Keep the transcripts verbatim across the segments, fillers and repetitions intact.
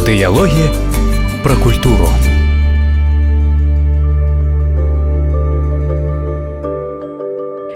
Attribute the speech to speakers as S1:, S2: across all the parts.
S1: Дыялогі пра культуру.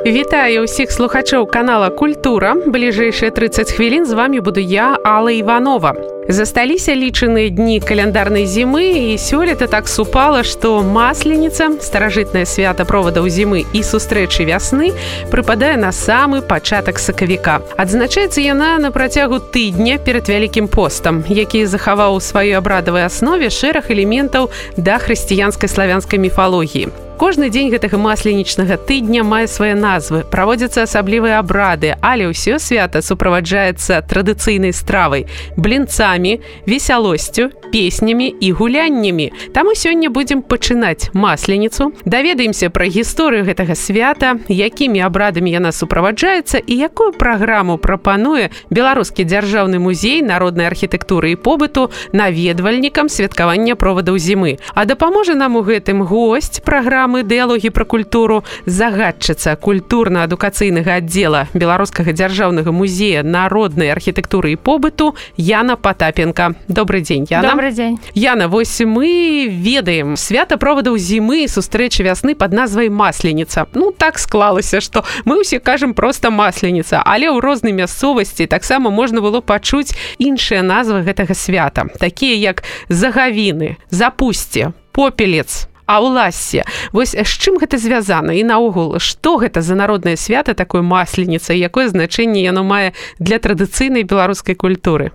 S2: Вітаю ўсіх слухачоў канала «Культура». Бліжэйшыя трыццаць хвілін з вами буду я, Алла Іванова. Засталіся лічаныя дні каляндарнай зімы, і сёлета так супала, што Масленіца, старажытнае свята провадаў зімы і сустрэчы вясны, прыпадае на самы пачатак сакавіка. Адзначаецца яна на працягу тыдня перад Вялікім постам, які захаваў у сваёй абрадавай аснове шэраг элементаў да хрысціянскай славянскай міфалогіі. Кожны дзень гэтага масленічнага тыдня мае свае назвы, праводзяцца асаблівыя абрады, але ўсё свята суправаджаецца традыцыйнай стравай, блінцамі, весялосцю, песнямі і гуляннямі. Таму сёння будзем пачынаць масленіцу, даведаемся пра гісторыю гэтага свята, якімі абрадамі яна суправаджаецца і якую праграму прапануе Беларускі дзяржаўны музей народнай архітэктуры і побыту наведвальнікам святкавання провадаў зімы. А дапаможа нам у гэтым госць праграмы «Дыялогі пра культуру», загадчыца культурна-адукацыйнага аддзела Беларускага дзяржаўнага музея народнай архітэктуры і побыту Яна Потапенко. Добрый дзень, Яна.
S3: Добрый дзень.
S2: Яна, вось мы ведаем свята провадаў зімы і сустрэчы вясны пад назвай Масленіца. Ну, так склалася, што мы ўсе кажам проста Масленіца, але ў рознай мясцовасці таксама можна было пачуць іншыя назвы гэтага свята, такія як Загавіны, Запусце, Попелец, Аўлассе. Вось з чым гэта звязана і наогул, што гэта за народнае свята такое Масленіца і якое значэнне яно мае для традыцыйнай беларускай культуры?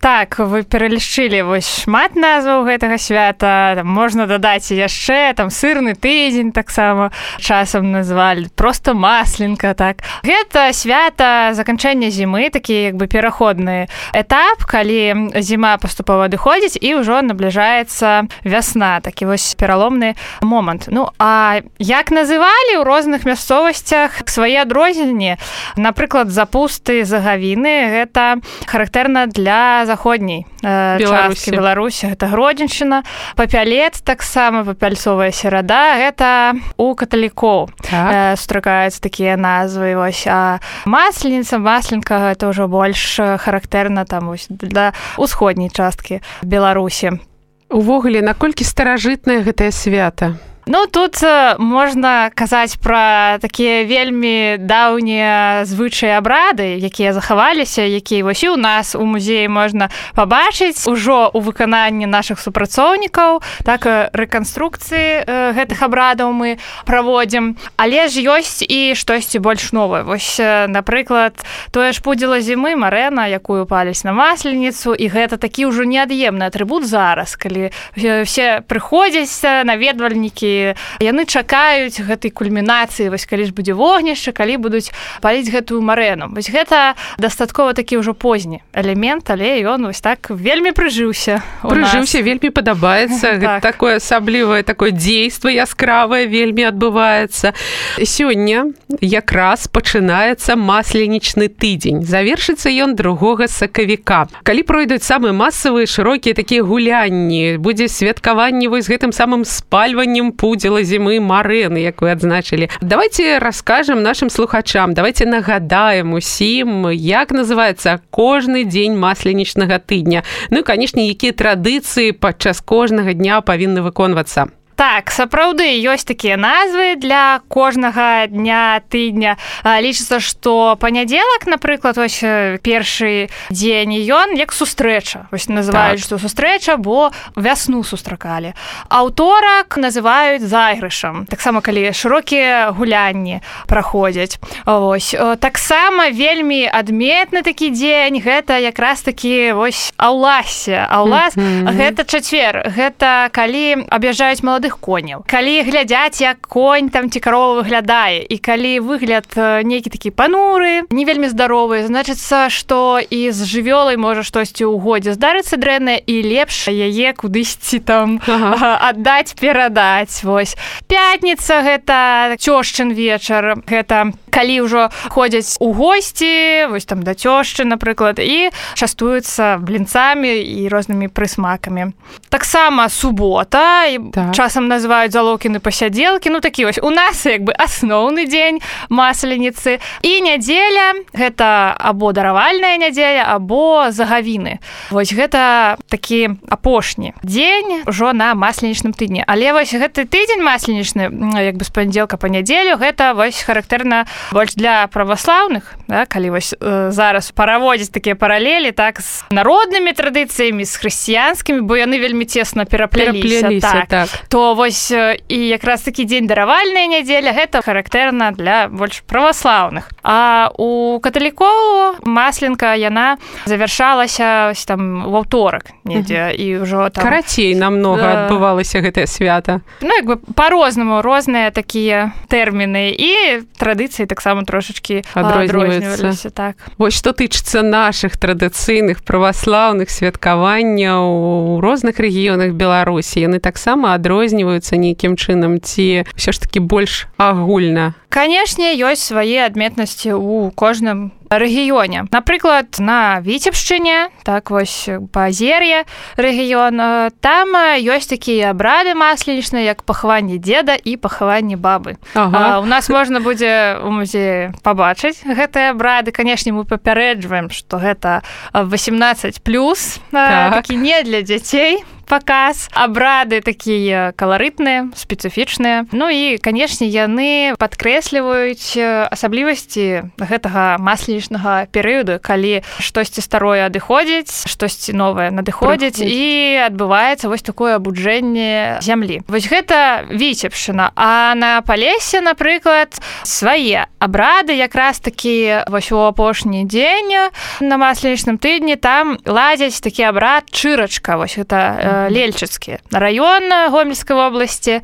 S3: Так, вы пералічылі вось шмат назваў гэтага свята. Там можна дадаць яшчэ, там сырны тыдзень таксама часам назвалі, проста масленка, так. Гэта свята заканчэння зімы, такі як бы пераходны этап, калі зіма паступова адыходзіць і ўжо набліжаецца вясна, такі вось пераломны момант. Ну, а як называлі ў розных мясцовасцях свае адрозненні? Напрыклад, Запусты, Загавіны, гэта характэрна для заходняй э, часткі Беларусі, гэта Гродзеншчына. Папялец таксама, папяльцовая серада, гэта у каталікоў так. э, сустракаюцца такія назвы. Вось. А Масленіца, масленка, гэта ўжо больш характэрна там вось для усходняй часткі Беларусі.
S2: Увогуле, наколькі старажытнае гэтае свята?
S3: Ну, тут э, можна казаць пра такія вельмі даўнія звычаі абрады, якія захаваліся, якія вось і ў нас у музеі можна пабачыць ужо ў выкананні нашых супрацоўнікаў, так рэканструкцыі э, гэтых абрадаў мы праводзім. Але ж ёсць і штосьці больш новае. Вось, э, напрыклад, тое ж пудзіла зімы, марэна, якую паляць на Масленіцу, і гэта такі ўжо неад'емны атрыбут зараз, калі все прыходзяць наведвальнікі, яны чакаюць гэтай кульмінацыі, вось калі ж будзе вогнішча, калі будуць паліць гэтую марэну. Вось гэта дастаткова такі ўжо позні элемент, але ён вось так вельмі прыжыўся.
S2: Прыжыўся, вельмі падабаецца. Так. Такое асаблівае такое дзейства яскравае вельмі адбываецца. Сёння якраз пачынаецца масленічны тыдзень. Завершыцца ён другога сакавіка. Калі пройдуць самыя масавыя шырокія такія гулянні, будзе святкаванне вось гэтым самым спальваннем пудзіла зімы марэны, як вы адзначылі. Давайте раскажам нашым слухачам, давайте нагадаем усім, як называецца кожны дзень масленічнага тыдня. Ну і, канешне, якія традыцыі падчас кожнага дня павінны выконвацца.
S3: Так, сапраўды, ёсць такія назвы для кожнага дня, тыдня. Лічыцца, што панядзелак, напрыклад, вось першы дзень, ён як сустрэча. Вось называюць, так. Што сустрэча, бо вясну сустракалі. Аўторак называюць зайгрышам. Таксама, калі шырокія гулянні праходзяць. Вось. Таксама вельмі адметны такі дзень, гэта якраз такі вось Аўлассе. Аўлас, mm-hmm. гэта чацвер. Гэта калі аб'язджаюць маладых коняў. Калі глядзяць, як конь там ці карова выглядае, і калі выгляд нейкі такі пануры, не вельмі здаровы, значыцца, што і з жывёлай можа штосьці ў годзе здарыцца дрэннае, і лепш яе кудысьці там ага. аддаць, перадаць. Вось. Пятніца — гэта цёшчын вечар, гэта калі ўжо ходзяць у госці, вось там да цёшчы, напрыклад, і частуюцца блінцамі і рознымі прысмакамі. Таксама субота, і так. часам называюць залокіны пасядзелкі, ну такі вось у нас як бы асноўны дзень масленіцы. І нядзеля — гэта або даравальная нядзеля, або загавіны. Вось гэта такі апошні дзень ужо на масленічным тыдні. Але вось гэты тыдзень масленічны, як бы з панядзелка па нядзелю, гэта вось характэрна больш для праваслаўных, да, калі вось э, зараз параводзіць такія паралелі так з народнымі традыцыямі, з хрысціянскімі, бо яны вельмі цесна перапляліся, так, так. То вось і якраз такі дзень даравальная нядзеля — гэта характэрна для больш праваслаўных. А у каталікоў масленка яна завяршалася там ва ўторак недзе, uh-huh. і ўжо там
S2: карацей намнога да. адбывалася гэтае свята.
S3: Ну як бы па-рознаму розныя такія тэрміны, і традыцыі таксама трошачкі адрозніваліся. Так.
S2: Вось што тычыцца нашых традыцыйных праваслаўных святкаванняў у розных рэгіёнах Беларусі, яны таксама адрозніваюцца нейкім чынам ці ўсё ж такі больш агульна?
S3: Канешне, ёсць свае адметнасці ў кожным рэгіёне. Напрыклад, на Віцебшчыне, так вось Паазер'е рэгіён, там ёсць такія абрады масленічныя, як пахаванне дзеда і пахаванне бабы. Ага. А, у нас можна будзе ў музеі пабачыць гэтыя абрады. Канешне, мы папярэджваем, што гэта васемнаццаць плюс, так. такі не для дзяцей паказ. Абрады такія каларытныя, спецыфічныя. Ну і, канешне, яны падкрэсліваюць асаблівасці гэтага масленічнага перыяду, калі штосьці старое адыходзіць, штосьці новае надыходзіць, і адбываецца вось такое абуджэнне зямлі. Вось гэта Віцебшчына. А на Палесе, напрыклад, свае абрады, якраз такі вось у апошні дзень на масленічным тыдні там ладзяць такі абрад чырачка. Вось гэта Лельчыцкі раён Гомельскай вобласці.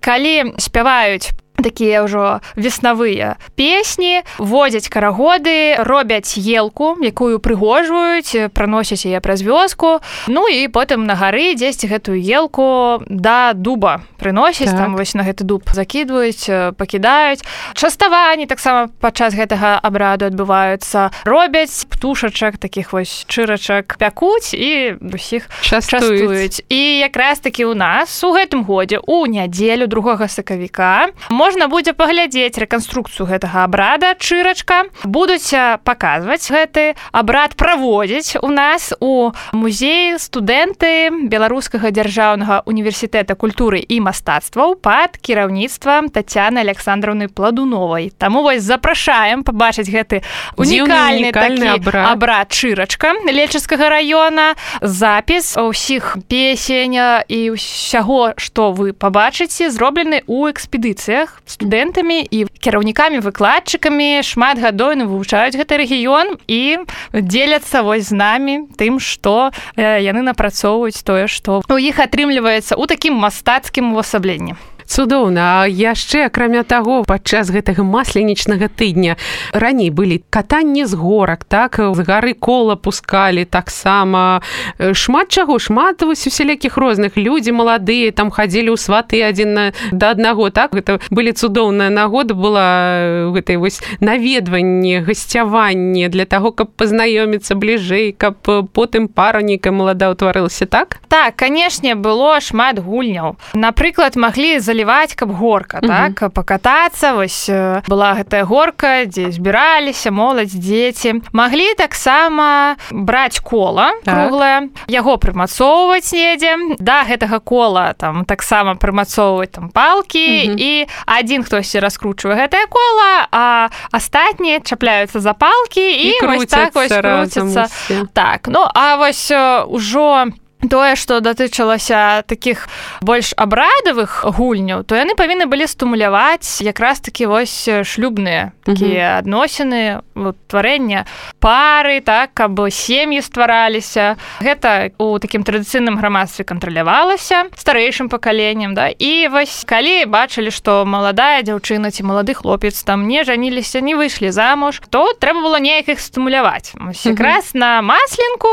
S3: Калі спяваюць такія ўжо веснавыя песні, водзяць карагоды, робяць елку, якую прыгожваюць, праносяць яе праз вёску, ну і потым на гары дзесьці гэтую елку да дуба прыносяць, так. Там вось на гэты дуб закідваюць, пакідаюць. Частаванні таксама падчас гэтага абраду адбываюцца. Робяць птушачак, такіх вось чырачак пякуць і ўсіх частуюць. частуюць. І якраз такі ў нас у гэтым годзе у нядзелю другога сакавіка можна будзе паглядзець рэканструкцыю гэтага абрада чырачка. Будуць паказваць гэты абрад, праводзіць у нас у музеі студэнты Беларускага дзяржаўнага універсітэта культуры і мастацтваў пад кіраўніцтвам Тацяны Александраўны Пладуновай. Таму вось запрашаем пабачыць гэты унікальны такі абрад. абрад чырачка Лельчыцкага раёна, запіс ўсіх песень і ўсяго, што вы пабачыце, зроблены ў экспедыцыях студэнтамі і кіраўнікамі-выкладчыкамі. Шмат гадоў вывучаюць гэты рэгіён і дзеляцца вось з намі тым, што э, яны напрацоўваюць тое, што у іх атрымліваецца ў такім мастацкім увасабленні.
S2: Цудоўна. А яшчэ, акрамя таго, падчас гэтага масленічнага тыдня раней былі катанні з горак, так? З гары кола пускалі таксама. Шмат чаго, шмат вось усялякіх розных. Людзі маладыя там хадзілі ў сваты адзін да аднаго, так? Гэта былі цудоўная нагода, была гэтай вось наведванне, гасцяванне для таго, каб пазнаёміцца бліжэй, каб потым пара нейкая малада ўтварылася, так?
S3: Так, канешне, было шмат гульняў. Напрыклад, маглі заліваць, каб горка, uh-huh. так, пакатацца. Вось была гэтая горка, дзе збіраліся моладзь, дзеці. Маглі таксама браць кола так. круглае, яго прымацоўваць недзе. Да гэтага кола там таксама прымацоўваць там палкі, uh-huh. і адзін хтосьці раскручвае гэтае кола, а астатнія чапляюцца за палкі і, і вось так вось круцяцца. Так, ну, а вось ужо тое, што датычылася такіх больш абрадавых гульняў, то яны павінны былі стымуляваць якраз такі вось шлюбныя такія mm-hmm. адносіны, тварэння пары, так, каб сем'і ствараліся. Гэта у такім традыцыйным грамадстве кантралявалася старэйшым пакаленнем, да? І вось калі бачылі, што маладая дзяўчына ці малады хлопец там не жаніліся, не выйшлі замуж, то трэба было неяк іх стымуляваць. Вось якраз mm-hmm. на масленку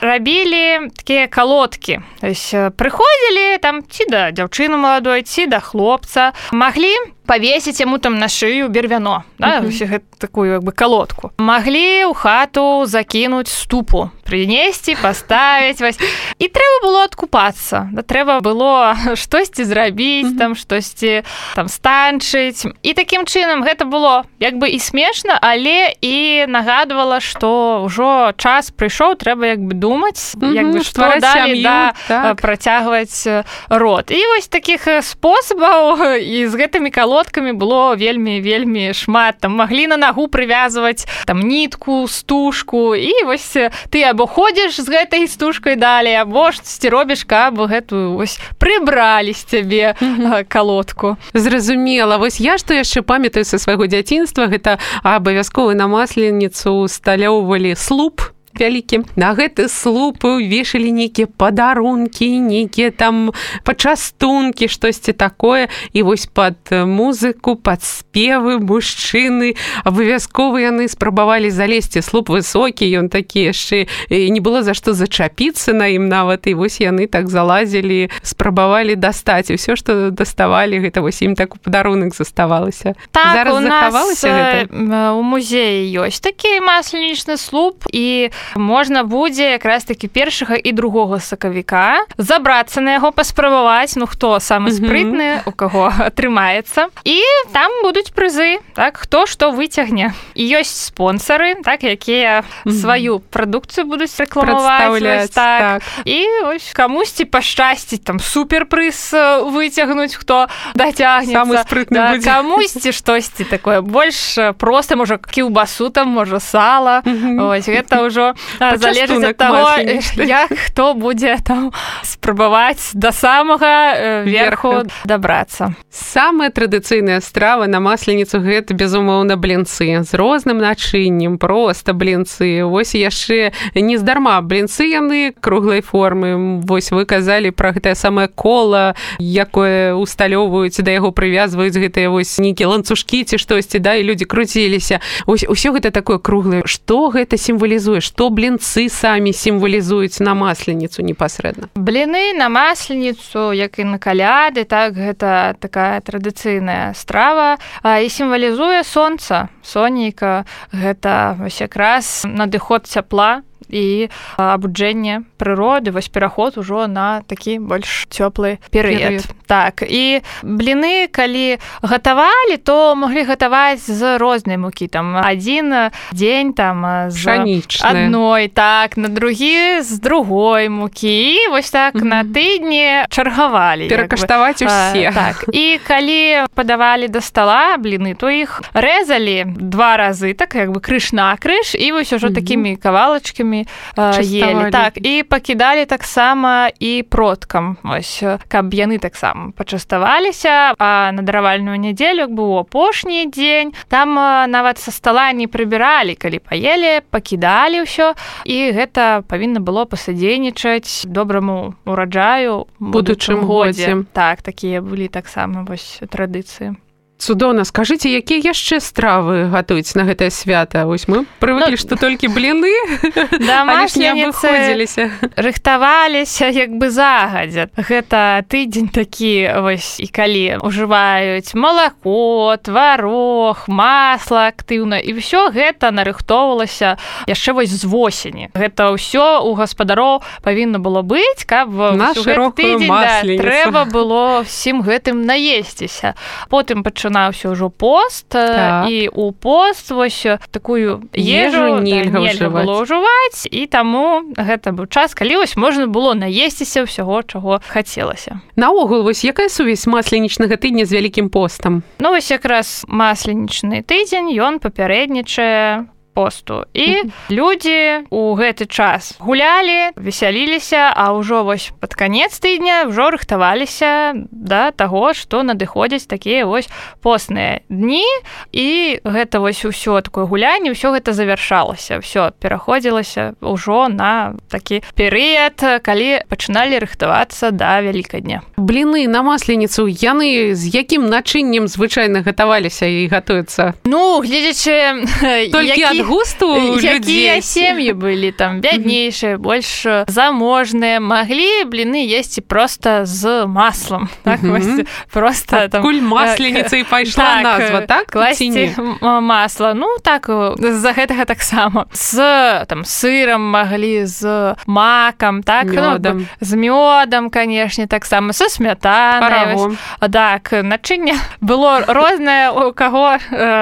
S3: рабілі такія калоны лодкі. То есть прыходзілі там ці да дзяўчыны маладой, ці да хлопца. Маглі павесіць яму там на шыю бервяно, да, mm-hmm. такую як бы калодку. Маглі ў хату закінуць ступу, прынесці, паставіць вось. І трэба было адкупацца. Да, трэба было штосьці зрабіць, mm-hmm. там штосьці там станчыць. І такім чынам гэта было як бы і смешна, але і нагадвала, што ўжо час прыйшоў, трэба як бы думаць, mm-hmm. як бы што далі, да, так. працягваць род. І вось такіх спосабаў і з гэтымі калодкамі было вельмі-вельмі шмат. Там маглі на нагу прывязваць там нітку, стужку, і вось ты або ходзіш з гэтай стужкай далей, або штосьці робіш, каб гэтую вось прыбралі з цябе mm-hmm. калодку.
S2: Зразумела. Вось я што яшчэ памятаю са свайго дзяцінства, гэта абавязкова на масленіцу усталёўвалі слуп вялікі. На гэты слуп вешалі нейкія падарункі, нейкія там пачастункі, штосьці такое. І вось пад музыку, пад спевы мужчыны абавязкова яны спрабавалі залезці. Слуп высокі, ён такі яшчэ не было за што зачапіцца на ім нават. І вось яны так залазілі, спрабавалі дастаць. І ўсё, што даставалі, гэта вось ім так у падарунак заставалася.
S3: Так,
S2: зараз
S3: у
S2: захавалася
S3: нас
S2: гэта?
S3: У музеі ёсць такі масленічны слуп, і можна будзе якраз такі першага і другога сакавіка забрацца на яго, паспрабаваць, ну хто самы спрытны, у каго атрымаецца. І там будуць прызы, так, хто што выцягне. І ёсць спонсары, так, якія сваю прадукцыю будуць рэкламаваць. Так. Так. І ось камусьці пашчасціць, там суперпрыз выцягнуць, хто дацягнецца.
S2: Самы спрытны
S3: да,
S2: будзе.
S3: Камусьці штосьці такое больш проста, можа кіўбасу там, можа сала. Ось гэта ўжо залежыць ад таго, як хто будзе там спрабаваць да самага верху дабрацца.
S2: Самая традыцыйная страва на масленіцу гэта, безумоўна, блінцы з розным начыннем, проста блінцы. Вось яшчэ нездарма блінцы яны круглай формы. Вось вы казалі пра гэтае самае кола, якое усталёўваюць, да яго прывязваюць гэтыя вось нейкія ланцужкі ці штосьці, да, і людзі круціліся. Вось усё гэта такое круглае. Што гэта сімвалізуе? Што блінцы самі сімвалізуюць на масленіцу непасрэдна?
S3: Бліны на масленіцу, як і на каляды, так, гэта такая традыцыйная страва, і сімвалізуе сонца, сонейка. Гэта вось якраз надыход цяпла і абуджэнне прыроды, вось пераход ужо на такі больш цёплы перыяд. Так, і бліны, калі гатавалі, то маглі гатаваць з рознай мукі. Там адзін дзень там з
S2: пшанічная.
S3: Адной, так, на другі з другой мукі. І вось так mm-hmm. на тыдні чаргавалі.
S2: Перакаштаваць усе.
S3: А, так, і калі падавалі да стала бліны, то іх рэзалі два разы, так, як бы крыж на крыж, і вось ужо mm-hmm. такімі кавалачкамі ели. Так, і пакідалі таксама і продкам, ось, каб яны таксама пачаставаліся, а на даравальную нядзелю, як быў апошні дзень, там нават са стала не прыбіралі, калі паелі, пакідалі ўсё, і гэта павінна было пасадзейнічаць добраму ураджаю у будучым годзе. Так, такія былі таксама вось традыцыі.
S2: Цудоўна. Скажыце, якія яшчэ стравы гатуюць на гэтае свята? Вось мы прывыклі, ну, што толькі бліны,
S3: да,
S2: але ж не абыходзіліся.
S3: Рыхтаваліся як бы загадзя. Гэта тыдзень такі, вось, і калі ўжываюць малако, тварог, масла актыўна, і ўсё гэта нарыхтоўвалася яшчэ вось з восені. Гэта ўсё у гаспадароў павінна было быць, каб
S2: на шырокую масленіцу.
S3: Да, трэба было всім гэтым наесціся. Потым пачынаюць пачынаўся ўжо пост, так. І у пост вось такую ежу, ежу нельга, да, нельга было ўжываць, і таму гэта быў час, калі вось можна было наесціся ўсяго, чаго хацелася.
S2: Наогул, вось якая сувязь масленічнага тыдня з вялікім постам?
S3: Ну, вось якраз масленічны тыдзень, ён папярэднічае посту. І mm-hmm. людзі ў гэты час гулялі, весяліліся, а ўжо вось пад канец тыдня ўжо рыхтаваліся да таго, што надыходзяць такія вось постныя дні, і гэта вось усё такое гулянне, ўсё гэта завяршалася, ўсё пераходзілася ўжо на такі перыяд, калі пачыналі рыхтавацца да Вялікадня.
S2: Бліны на масленіцу, яны з якім начыннем звычайна гатаваліся і гатуюцца?
S3: Ну, гледзячы,
S2: толькі ад густу у людзей.
S3: Якія сем'і былі там бяднейшыя, больш заможныя, маглі бліны есці проста з маслом. Так, вось, просто там...
S2: Адкуль масленіца і пайшла назва, так?
S3: Класці масла. Ну, так, з-за гэтага таксама. З там сырам маглі, з макам, так?
S2: Мёдам.
S3: Ну, з мёдам, канешне, таксама, са смятанай.
S2: Парагом.
S3: Так, начынне было рознае, у каго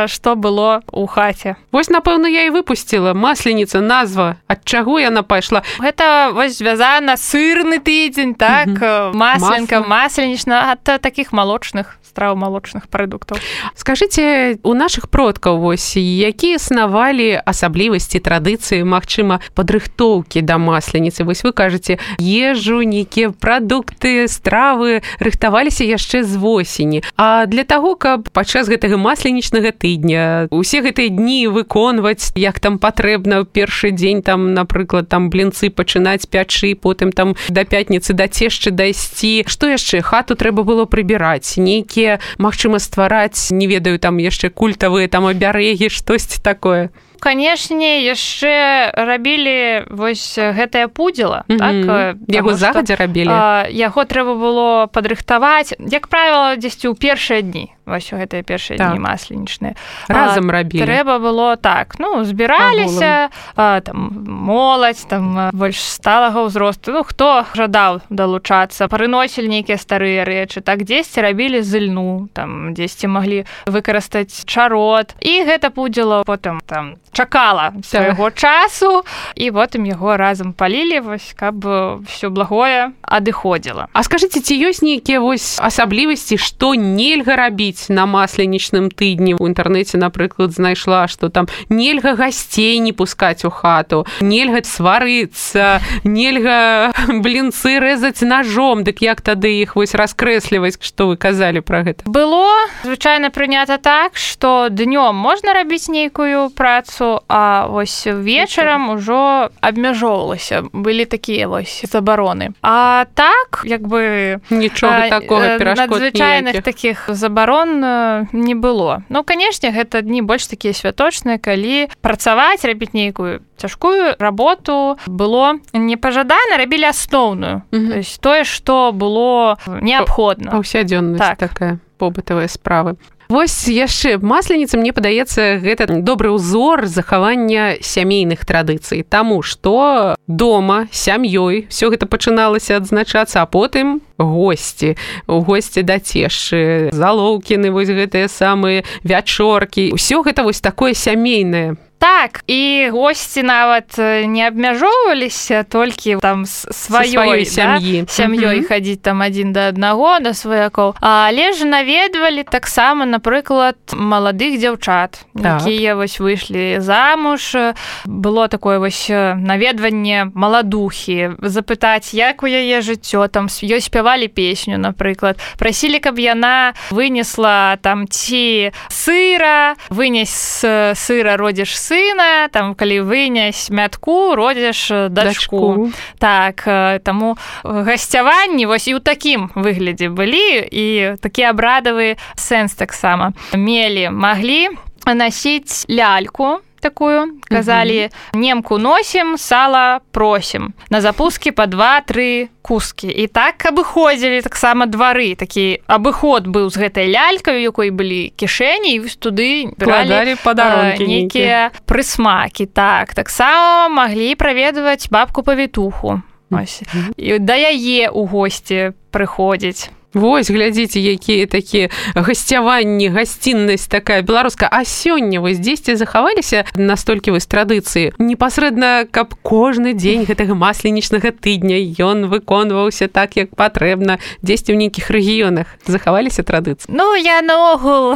S3: што было ў хаце.
S2: Вось, напэўна, я і выпусціла. Масленіца, назва. Ад чаго яна пайшла?
S3: Гэта вось звязана сырны тыдзень, так? Mm-hmm. Масленка, масленічна, ад такіх малочных страў, малочных прадуктаў.
S2: Скажыце, у нашых продкаў вось, якія існавалі асаблівасці, традыцыі, магчыма, падрыхтоўкі да масленіцы? Вось вы кажаце, ежу, нейкія прадукты, стравы рыхтаваліся яшчэ з восені. А для таго, каб падчас гэтага масленічнага тыдня усе гэтыя дні выконваць, як там патрэбна, ў першы дзень, там, напрыклад, там блінцы пачынаць пячы, потым там да пятніцы да цешчы дайсці. Што яшчэ? Хату трэба было прыбіраць, нейкія, магчыма, ствараць, не ведаю, там яшчэ культавыя там абярэгі, штосьці такое.
S3: Канешне, яшчэ рабілі вось гэтае пудзіла.
S2: Mm-hmm.
S3: Так?
S2: Яго загадзя рабілі?
S3: А, яго трэба было падрыхтаваць, як правіла, дзесьці ў першыя дні. Вось у гэтыя першыя так. дні масленічныя.
S2: Разам а, рабілі?
S3: Трэба было так. Ну, збіраліся, а, там, моладзь, там, больш сталага ўзросту. Ну, хто жадаў далучацца, прыносілі нейкія старыя рэчы. Так, дзесьці рабілі зыльну, там, дзесьці маглі выкарыстаць чарот. І гэта пудзіла потым, там, чакала свайго часу, і потым яго разам палілі, вось, каб всё благое адыходзіла.
S2: А скажыце, ці ёсць нейкія вось асаблівасці, што нельга рабіць на масленічным тыдні? У інтэрнэце, напрыклад, знайшла, што там нельга гасцей не пускаць у хату, нельга сварыцца, нельга блінцы рэзаць ножом, дык як тады іх вось раскрэсліваць, што вы казалі пра гэта?
S3: Было звычайна прынята так, што днём можна рабіць нейкую працу, а вось вечарам ужо абмяжоўвалася. Былі такія вось забароны. А так, як бы...
S2: Нічога такога, перашкод
S3: надзвычайных такіх забарон не было. Ну, канешне, гэта дні больш такія святочныя, калі працаваць, рабіць нейкую цяжкую работу было непажадана, рабілі асноўную. Mm-hmm. То есть тое, што было неабходна.
S2: Паўсядзённасць
S3: так.
S2: такая, побытавыя справы. Вось яшчэ масленіца, мне падаецца, гэта добры ўзор захавання сямейных традыцый. Таму што дома, сям'ёй всё гэта пачыналася адзначацца, а потым госці, у госці да цешчы, залоўкіны, вось гэтыя самыя вячоркі. Усё гэта вось такое сямейнае.
S3: Так, і госці нават не абмяжоўваліся толькі там сваёй
S2: сям'і,
S3: да? сям'ёй mm-hmm. хадзіць там адзін да аднаго, да сваякоў, але ж наведвалі таксама, напрыклад, маладых дзяўчат, так. якія вось выйшлі замуж. Было такое вось наведванне маладухі, запытаць, як у яе жыццё, там ёй спявалі песню, напрыклад, прасілі, каб яна вынесла там ці сыра, вынес сыра, родзіш сыр, сына, там, калі вынясь мятку, родзіш дачку. дачку. Так, таму гасцяванні вось і ў такім выглядзе былі, і такі абрадавы сэнс таксама. Мелі, маглі насіць ляльку, такую, казалі, uh-huh. немку носім, сала просім. На запускі па два-тры кускі. І так абыходзілі таксама двары. Такі абыход быў з гэтай лялькай, у якой былі кішэні, і вось туды бралі нейкія прысмакі. Так, таксама маглі праведваць бабку-павітуху. Uh-huh. І да яе ў госці прыходзіць.
S2: Вось, глядзіце, якія такія гасцяванні, гасціннасць такая беларуская. А сёння вось дзесьці захаваліся настолькі вось традыцыі? Непасрэдна, каб кожны дзень гэтага масленічнага тыдня ён выконваўся так, як патрэбна. Дзесьці ў нейкіх рэгіёнах захаваліся традыцыі?
S3: Ну, я наогул...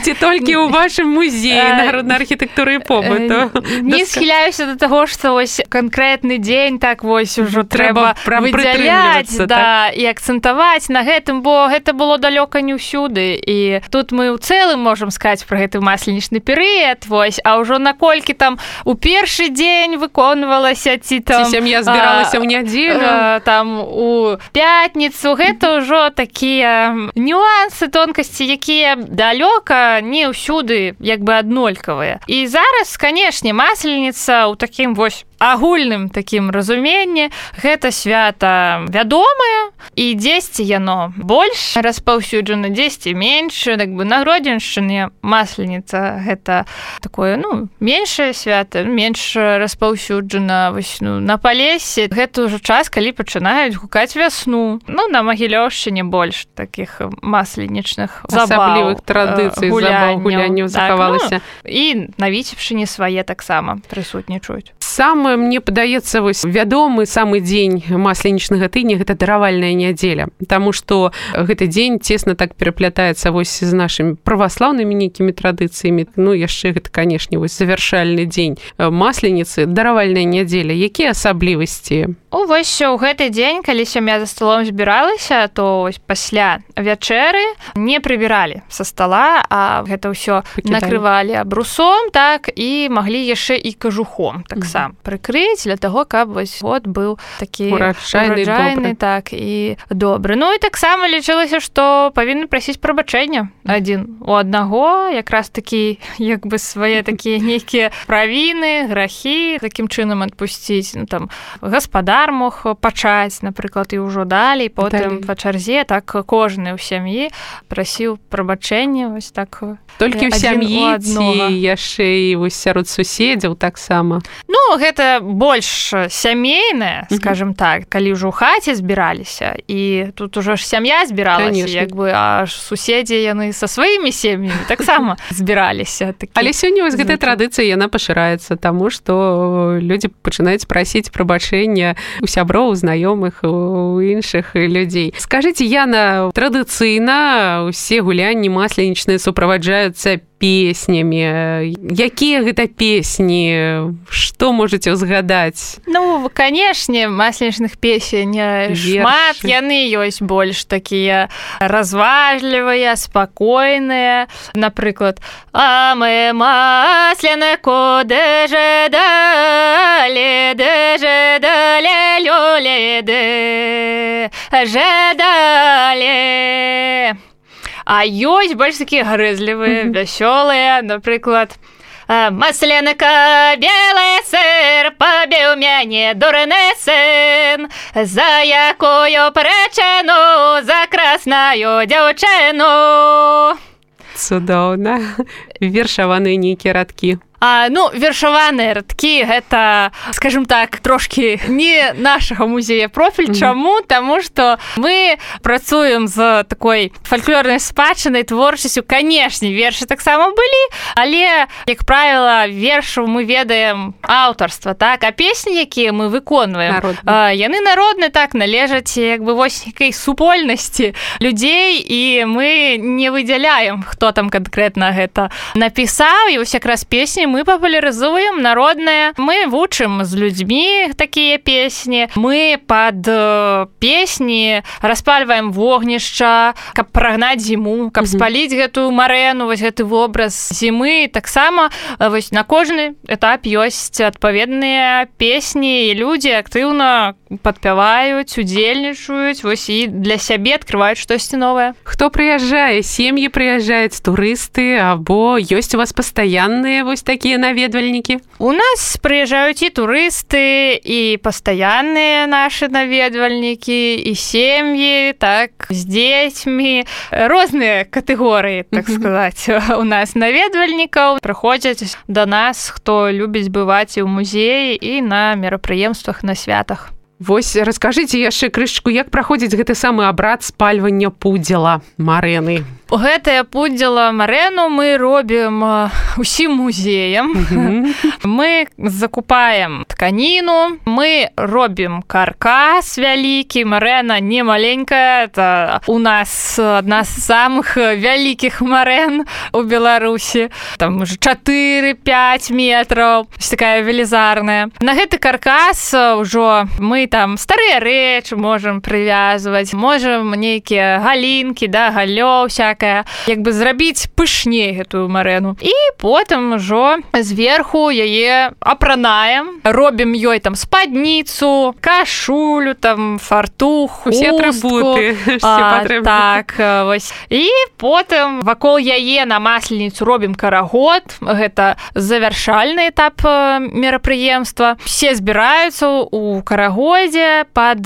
S2: Ці толькі ў вашым музеі народнай архітэктуры і побыту?
S3: Не схіляюся да таго, што вось канкрэтны дзень так вось ужо трэба выдзяляць, да, і акцэнтаваць на гэта. гэтым, бо гэта было далёка не ўсюды. І тут мы ў цэлым можам сказаць пра гэты масленічны перыяд, вось, а ўжо наколькі там у першы дзень выконвалася, ці там...
S2: Ці сям'я збіралася ў нядзелю.
S3: Там у пятніцу, гэта ўжо такія нюансы, тонкасці, якія далёка не ўсюды як бы аднолькавыя. І зараз, канешне, масленіца ў такім вось агульным такім разуменні гэта свята вядомае, і дзесьці яно больш распаўсюджана, дзесьці менш. Так бы на Гродзеншчыне масленіца гэта такое, ну, меншае свята, менш распаўсюджана. Вось, ну, на Палесе гэта ўжо час, калі пачынаюць гукаць вясну. Ну, на Магілёўшчыне больш такіх масленічных забаў,
S2: асаблівых традыцый, забаў, гулянняў захавалася.
S3: Так, ну, і на Віцебшчыне свае таксама прысутнічаюць.
S2: Самы, мне падаецца, вось вядомы самы дзень масленічнага тыдня гэта даравальная нядзеля, таму што гэты дзень цесна так пераплятаецца вось з нашымі праваслаўнымі нейкімі традыцыямі. Ну, яшчэ гэта, канешне, вось завяршальны дзень масленіцы, даравальная нядзеля. Якія асаблівасці?
S3: О, вось у гэты дзень, калі сям'я за сталом збіралася, то вось пасля вячэры не прыбіралі са стала, а гэта ўсё накрывалі абрусом, так, і маглі яшчэ і кажухом таксама прыкрыць для таго, каб вось год быў такі
S2: ураджайны,
S3: ураджайны, так, і добры. Ну і таксама лічылася, што павінны прасіць прабачэння адзін у аднаго, якраз такі як бы свае такія нейкія правіны, грахі такім чынам адпусціць. Ну, там гаспадар мог пачаць, напрыклад, і ўжо далей, потым па чарзе, так кожны ў сям'і прасіў прабачэння, вось так.
S2: Толькі ў сям'і ці яшчэ і вось сярод суседзяў таксама?
S3: Ну, гэта больш сямейнае, скажем так, калі ўжо ў хаце збіраліся, і тут ужо ж сям'я збіралася, як бы, а суседзі яны са сваімі сем'ямі таксама збіраліся.
S2: Але сёння вось гэтая традыцыя, яна пашыраецца, таму што людзі пачынаюць прасіць прабачэння у сяброў, у знаёмых, у іншых людзей. Скажыце, Яна, традыцыйна ўсе гулянні масленічныя суправаджаюцца песнямі. Якія гэта песні? Што можаце ўзгадаць?
S3: Ну, канешне, масленічных песень шмат, яны ёсць больш такія разважлівыя, спакойныя. Напрыклад, а мы масленко де жедалі, де жедалі, лёлі, де жедалі. А ёсць больш такія гарэзлівыя, вясёлыя, напрыклад, масленка белы сыр, пабіў мяне дурны сын, за якую прычыну, за красную дзяўчыну.
S2: Цудоўна. Вершаваныя нейкія радкі.
S3: А, ну, вершаваныя радкі, гэта, скажем так, трошкі не нашага музея профіль. Mm-hmm. Чаму? Таму што мы працуем з такой фальклорнай спадчынай, творчасцю. Канешне, вершы таксама былі, але, як правіла, вершаў мы ведаем аўтарства, так? А песні, якія мы выконваем, а, яны народныя, так, належаць як бы вось нейкай супольнасці людзей, і мы не выдзяляем, хто там канкрэтна гэта напісаў, і вось якраз песні мы папулярызуем народныя, мы вучым з людзьмі такія песні, мы пад песні распальваем вогнішча, каб прагнаць зіму, каб спаліць гэтую марэну, вось гэты вобраз зімы. Таксама вось на кожны этап ёсць адпаведныя песні, і людзі актыўна падпяваюць, удзельнічаюць, вось і для сябе адкрываюць штосьці новае.
S2: Хто прыязджае? Сем'і прыязджаюць, турысты, або ёсць у вас пастаянныя вось такія наведвальнікі?
S3: У нас прыязджаюць і турысты, і пастаянныя нашы наведвальнікі, і сем'і, так, з дзецьмі. Розныя катэгорыі, так сказаць, у нас наведвальнікаў. Прыходзяць да нас, хто любіць бываць і ў музеі, і на мерапрыемствах, на святах.
S2: Вось раскажыце яшчэ крышачку, як праходзіць гэты самы абрад спальвання пудзела марэны?
S3: Гэтае пудзіла марэну мы робім усім музеям. Мы закупаем тканіну, мы робім каркас вялікі, марэна не маленькая, это у нас адна з самых вялікіх марэн у Беларусі. Там уже чатыры-пяць метраў, такая велізарная. На гэты каркас ўжо мы там старыя рэчы можам прывязваць, можам нейкія галінкі, да, галлё всякае, як бы зрабіць пышней гэтую марэну. І потым ужо зверху яе апранаем, робім ёй там спадніцу, кашулю, там фартух, хустку.
S2: Усе атрыбуты,
S3: а, так, вось. І потым вакол яе на масленіцу робім карагод. Гэта завяршальны этап мерапрыемства. Все збіраюцца у карагодзе пад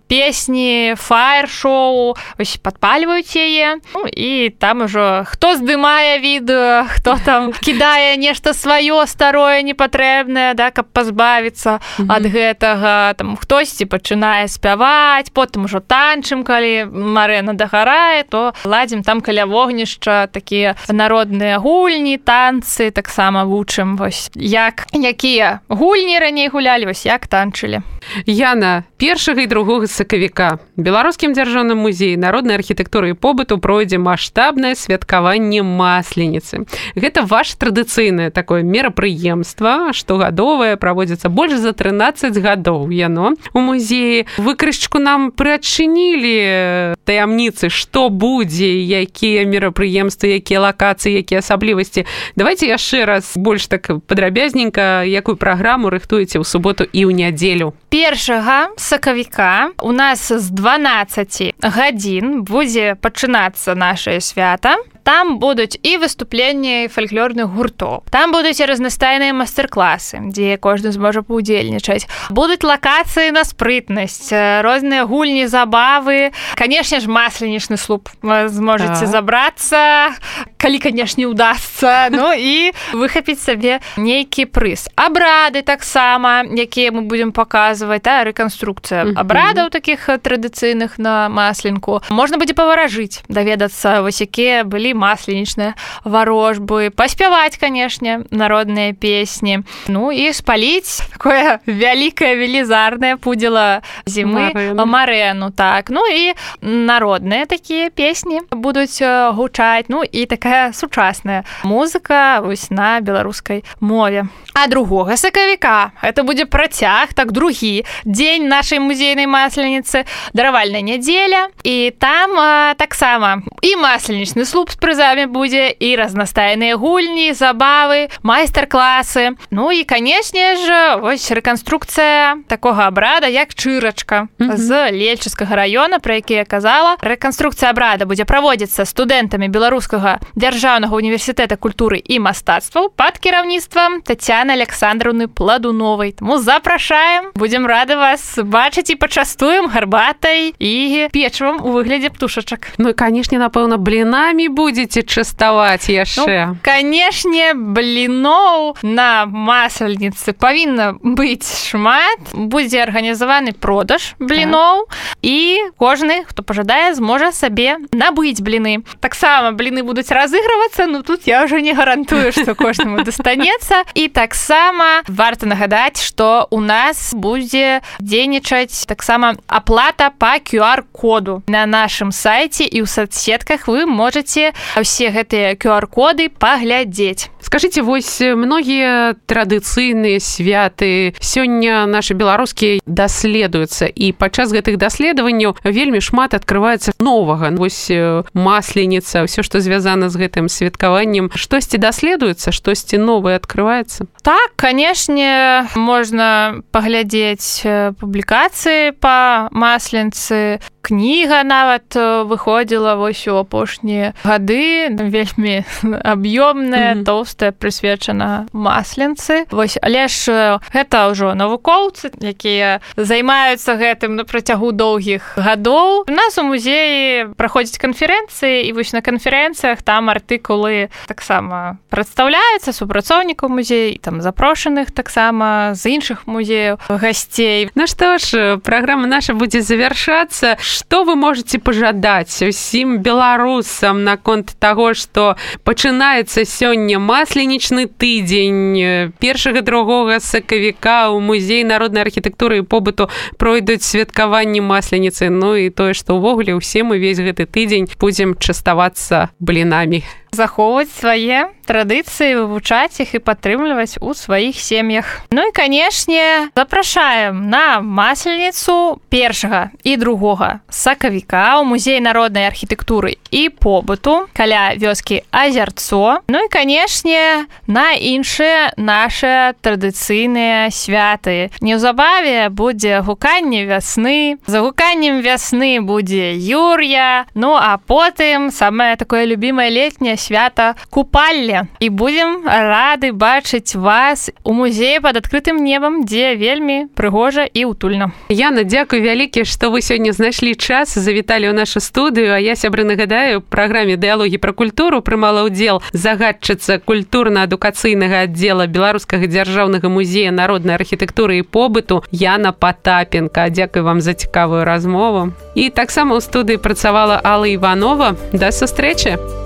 S3: песні, фаер-шоу, вось падпальваюць яе. Ну, і там ужо хто здымае відэо, хто там кідае нешта сваё старое, непатрэбнае, да, каб пазбавіцца mm-hmm. ад гэтага. Там хтосьці пачынае спяваць, потым ужо танчым, калі марэна дагарае, то ладзім там каля вогнішча такія народныя гульні, танцы, таксама вучым, вось, як, якія гульні раней гулялі, вось, як танчылі.
S2: Яна, першага і другога сакавіка Беларускім дзяржаўным музеі народнай архітэктуры і побыту пройдзе маштабнае святкаванне масленіцы. Гэта ваше традыцыйнае такое мерапрыемства, штогадовае, праводзіцца больш за трынаццаць гадоў яно у музеі. Вы крышачку нам прыадчынілі таямніцы, што будзе, якія мерапрыемствы, якія лакацыі, якія асаблівасці. Давайте яшчэ раз больш так падрабязненька, якую праграму рыхтуеце ў суботу і ў нядзелю.
S3: Першага сакавіка у нас з дванаццаці гадзін будзе пачынацца нашае свята. Там будуць і выступленні фальклорных гуртоў. Там будуць і разнастайныя майстар-класы, дзе кожны зможа паўдзельнічаць. Будуць лакацыі на спрытнасць, розныя гульні, забавы. Канешне ж, масленічны слуп вы зможаце забрацца, калі, канешне, удасца. Ну і выхапіць сабе нейкі прыз. Абрады таксама, якія мы будзем паказваць, да, рэканструкцыя абрадаў такіх традыцыйных на масленку. Можна будзе паваражыць, даведацца, вось якія былі масленічныя варожбы, паспяваць, канешне, народныя песні. Ну і спаліць такое вялікае, велізарнае пудзіла зімы марэну. марэну, так. Ну і народныя такія песні будуць гучаць. Ну і такая сучасная музыка вось на беларускай мове. А другога сакавіка гэта будзе працяг, так, другі дзень нашай музейнай масленіцы, даравальная нядзеля. І там а, таксама і масленічны слуп з прызамі будзе, і разнастайныя гульні, забавы, майстар-класы. Ну і, канешне ж, вось рэканструкцыя такога абрада, як чырачка mm-hmm. з Лельчыцкага раёна, пра які я казала. Рэканструкцыя абрада будзе праводзіцца студэнтамі Беларускага дзяржаўнага універсітэта культуры і мастацтваў пад кіраўніцтвам Тацяны Александраўны Пладуновай. Таму запрашаем, будзем рады вас бачыць і пачастуем гарбатай і печывам у выглядзе птушачак.
S2: Ну і, канешне, напэўна, блінамі будзеце частаваць яшчэ.
S3: Ну, канешне, бліноў на масленіцы павінна быць шмат. Будзе арганізаваны продаж бліноў, так. І кожны, хто пажадае, зможа сабе набыць бліны. Таксама бліны будуць разыгрывацца, ну тут я ўжо не гарантую, што кожнаму дастанецца. І таксама варта нагадаць, што у нас будзе дзейнічаць таксама аплата па ку ар-коду. На нашым сайце і ў соцсетках вы можаце ўсе гэтыя ку ар-коды паглядзець.
S2: Скажыце, вось многія традыцыйныя святы сёння нашы беларускія даследуюцца, і падчас гэтых даследаванняў вельмі шмат адкрываецца новага. Вось масленіца, ўсё, што звязана з гэтым святкаваннем. Штосьці даследуецца, штосьці новае адкрываецца?
S3: Так, канешне, можна паглядзець публікацыі па масленцы. Кніга нават выходзіла вось у апошнія гады, вельмі аб'ёмная, mm-hmm. тоўстая, прысвечана масленцы. Вось, але ж гэта ўжо навукоўцы, якія займаюцца гэтым на працягу доўгіх гадоў. У нас у музеі праходзяць канферэнцыі, і вось на канферэнцыях там артыкулы таксама прадстаўляюцца супрацоўнікаў музея, і там запрошаных таксама з іншых музеяў гасцей.
S2: Ну што ж, праграма наша будзе завяршацца. Што вы можаце пажадаць усім беларусам наконт наконт таго, што пачынаецца сёння масленічны тыдзень. Першага другога сакавіка ў музей народнай архітэктуры і побыту пройдуць святкаванні масленіцы. Ну і тое, што ўвогуле ўсе мы весь гэты тыдзень будзем частавацца блінамі.
S3: Захоўваць свае традыцыі, вывучаць іх і падтрымліваць у сваіх сем'ях. Ну і, канешне, запрашаем на масленіцу першага і другога сакавіка ў музей народнай архітэктуры і побыту каля вёскі Азярцо. Ну і, канешне, на іншыя нашы традыцыйныя святы. Неўзабаве будзе гуканне вясны, за гуканнем вясны будзе Юр'я, ну а потым самае такое любімае летняе свята купалле. І будзем рады бачыць вас у музеі пад адкрытым небам, дзе вельмі прыгожа і утульна.
S2: Яна, дзякуй вялікі, што вы сёння знайшлі час, завіталі ў нашу студыю, а я, сябры, нагадаю, у праграме «Дыялогі пра культуру» прымала ўдзел загадчыца культурна-адукацыйнага аддзела Беларускага дзяржаўнага музея народнай архітэктуры і побыту Яна Патапенка. Дзякуй вам за цікавую размову. І таксама ў студыі працавала Алла Іванова. Да сустрэчы!